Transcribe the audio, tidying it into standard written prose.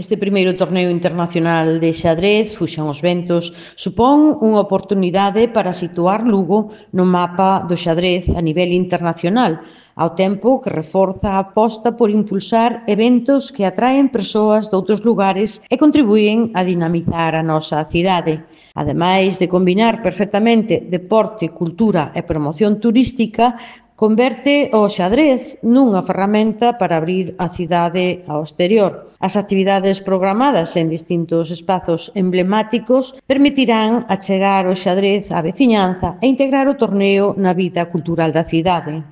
Este primeiro torneo internacional de xadrez, Fuxan os ventos, supón unha oportunidade para situar Lugo no mapa do xadrez a nivel internacional, ao tempo que reforza a aposta por impulsar eventos que atraen persoas doutros lugares e contribúen a dinamizar a nosa cidade. Ademais de combinar perfectamente deporte, cultura e promoción turística, converte o xadrez nunha ferramenta para abrir a cidade ao exterior. As actividades programadas en distintos espazos emblemáticos permitirán achegar o xadrez á veciñanza e integrar o torneo na vida cultural da cidade.